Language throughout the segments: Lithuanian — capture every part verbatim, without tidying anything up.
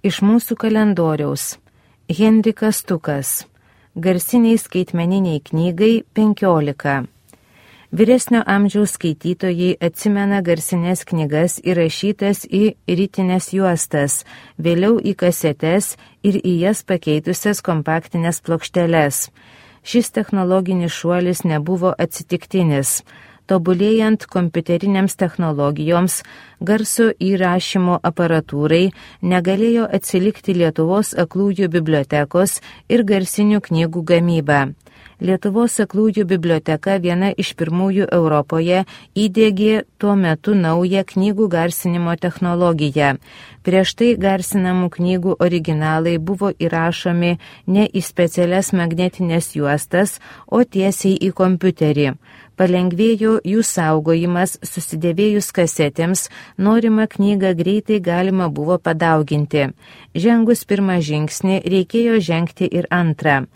Iš mūsų kalendoriaus. Henrikas Stukas. Garsiniai skaitmeniniai knygai penkiolika. Vyresnio amžiaus skaitytojai atsimena garsinės knygas įrašytas į rytinės juostas, vėliau į kasetes ir į jas pakeitusias kompaktinės plokšteles. Šis technologinis šuolis nebuvo atsitiktinis. Tobulėjant kompiuterinėms technologijoms, garso įrašymo aparatūrai negalėjo atsilikti Lietuvos aklųjų bibliotekos ir garsinių knygų gamyba. Lietuvos aklųjų biblioteka viena iš pirmųjų Europoje įdiegė tuo metu naują knygų garsinimo technologiją. Prieš tai garsinamų knygų originalai buvo įrašomi ne į specialias magnetinės juostas, o tiesiai į kompiuterį. Palengvėjo jų saugojimas, susidėvėjus kasetėms, norimą knygą greitai galima buvo padauginti. Žengus pirmą žingsnį reikėjo žengti ir antrą.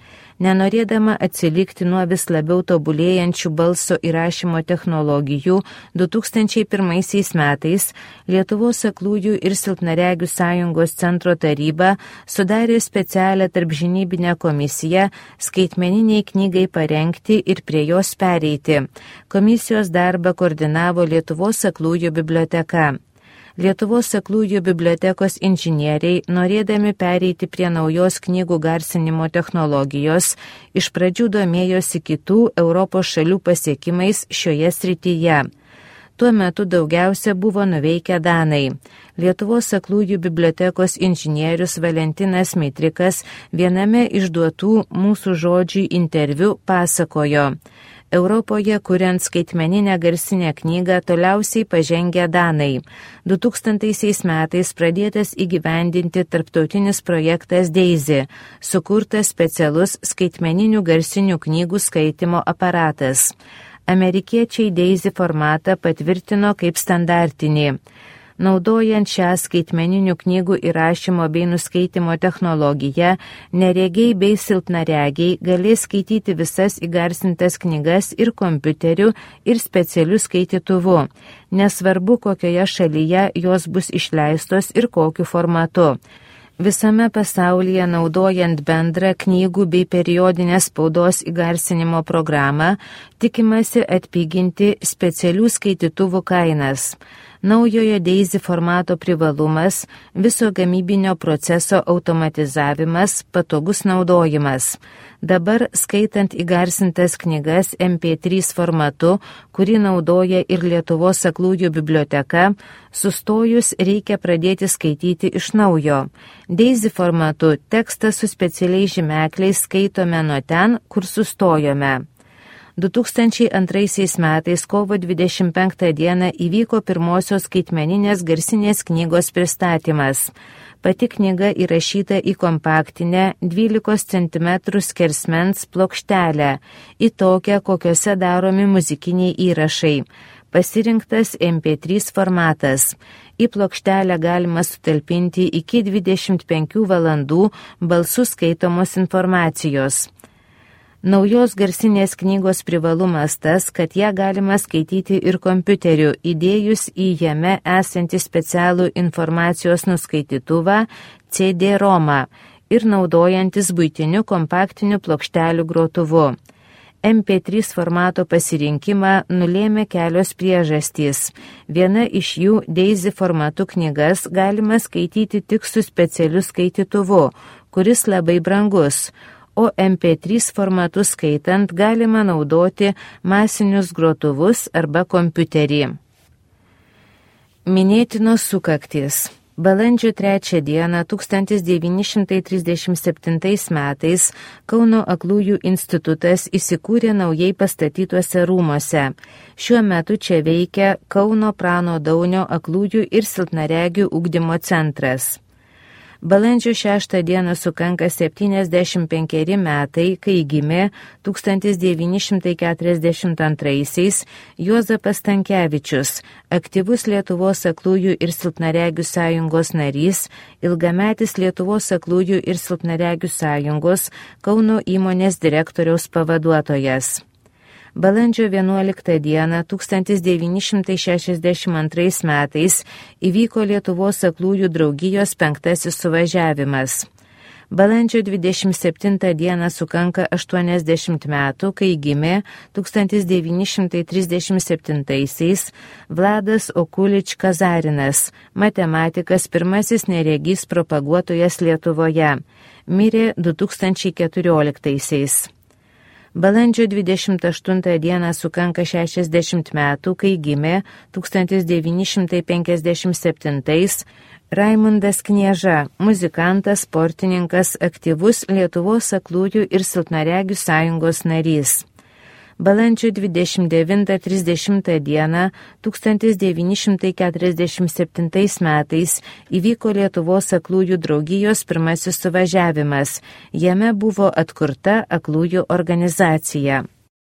Nenorėdama atsilikti nuo vis labiau tobulėjančių balso įrašymo technologijų, du tūkstančiai pirmaisiais metais Lietuvos aklųjų ir silpnaregių sąjungos centro taryba sudarė specialią tarpžinybinę komisiją skaitmeniniai knygai parengti ir prie jos pereiti. Komisijos darbą koordinavo Lietuvos aklųjų biblioteka. Lietuvos aklųjų bibliotekos inžinieriai, norėdami pereiti prie naujos knygų garsinimo technologijos, iš pradžių domėjosi kitų Europos šalių pasiekimais šioje srityje. Tuo metu daugiausia buvo nuveikę danai. Lietuvos aklųjų bibliotekos inžinierius Valentinas Mitrikas viename iš duotų mūsų žodžių interviu pasakojo: Europoje, kuriant skaitmeninę garsinę knygą, toliausiai pažengę danai. du tūkstantaisiais metais pradėtas įgyvendinti tarptautinis projektas Daisy, sukurtas specialus skaitmeninių garsinių knygų skaitimo aparatas. Amerikiečiai Daisy formatą patvirtino kaip standartinį. Naudojant šią skaitmeninių knygų įrašymo bei nuskaitimo technologiją, neregiai bei silpnaregiai galės skaityti visas įgarsintas knygas ir kompiuteriu, ir specialiu skaitytuvu. Nesvarbu, kokioje šalyje jos bus išleistos ir kokiu formatu. Visame pasaulyje naudojant bendrą knygų bei periodinės spaudos įgarsinimo programą, tikimasi atpiginti specialių skaitytuvų kainas. Naujojo Daisy formato privalumas – viso gamybinio proceso automatizavimas, patogus naudojimas. Dabar, skaitant įgarsintas knygas em pė trys formatu, kurį naudoja ir Lietuvos aklųjų biblioteka, sustojus reikia pradėti skaityti iš naujo. Daisy formatu tekstą su specialiais žymekliais skaitome nuo ten, kur sustojome. du tūkstančiai antraisiais metais kovo dvidešimt penktą dieną įvyko pirmosios skaitmeninės garsinės knygos pristatymas. Pati knyga įrašyta į kompaktinę dvylikos centimetrų skersmens plokštelę, į tokią, kokiose daromi muzikiniai įrašai. Pasirinktas em pė trys formatas. Į plokštelę galima sutalpinti iki dvidešimt penkių valandų balsų skaitomos informacijos. Naujos garsinės knygos privalumas tas, kad ją galima skaityti ir kompiuteriu, įdėjus į jame esantį specialų informacijos nuskaitytuvą C D romą ir naudojantis buitiniu kompaktiniu plokštelių grotuvu. em pė trys formato pasirinkimą nulėmė kelios priežastys. Viena iš jų Daisy formatu knygas galima skaityti tik su specialiu skaitytuvu, kuris labai brangus, o em pė trys formatu skaitant galima naudoti masinius grotuvus arba kompiuterį. Minėtinos sukaktys. Balandžio trečią dieną tūkstantis devyni šimtai trisdešimt septintais metais Kauno aklųjų institutas įsikūrė naujai pastatytuose rūmuose. Šiuo metu čia veikia Kauno Prano Daunio aklųjų ir silpnaregių ugdymo centras. Balandžio šeštą dieną sukanka septyniasdešimt penkeri metai, kai gimė tūkstantis devyni šimtai keturiasdešimt antraisiais Juozapas Stankevičius, aktyvus Lietuvos aklųjų ir silpnaregių sąjungos narys, ilgametis Lietuvos aklųjų ir silpnaregių sąjungos Kauno įmonės direktoriaus pavaduotojas. Balandžio vienuoliktą dieną tūkstantis devyni šimtai šešiasdešimt antrais metais įvyko Lietuvos aklųjų draugijos penktasis suvažiavimas. Balandžio dvidešimt septintą dieną sukanka aštuoniasdešimt metų, kai gimė tūkstantis devyni šimtai trisdešimt septintaisiais Vladas Okulič Kazarinas, matematikas, pirmasis neregys propaguotojas Lietuvoje. Mirė du tūkstančiai keturioliktaisiais. Balandžio dvidešimt aštuntą dieną sukanka šešiasdešimt metų, kai gimė tūkstantis devyni šimtai penkiasdešimt septintais Raimundas Knieža, muzikantas, sportininkas, aktyvus Lietuvos aklųjų ir silpnaregių sąjungos narys. Balandžio dvidešimt devintą trisdešimtą dieną tūkstantis devyni šimtai keturiasdešimt septintais metais įvyko Lietuvos aklųjų draugijos pirmasis suvažiavimas. Jame buvo atkurta aklųjų organizacija.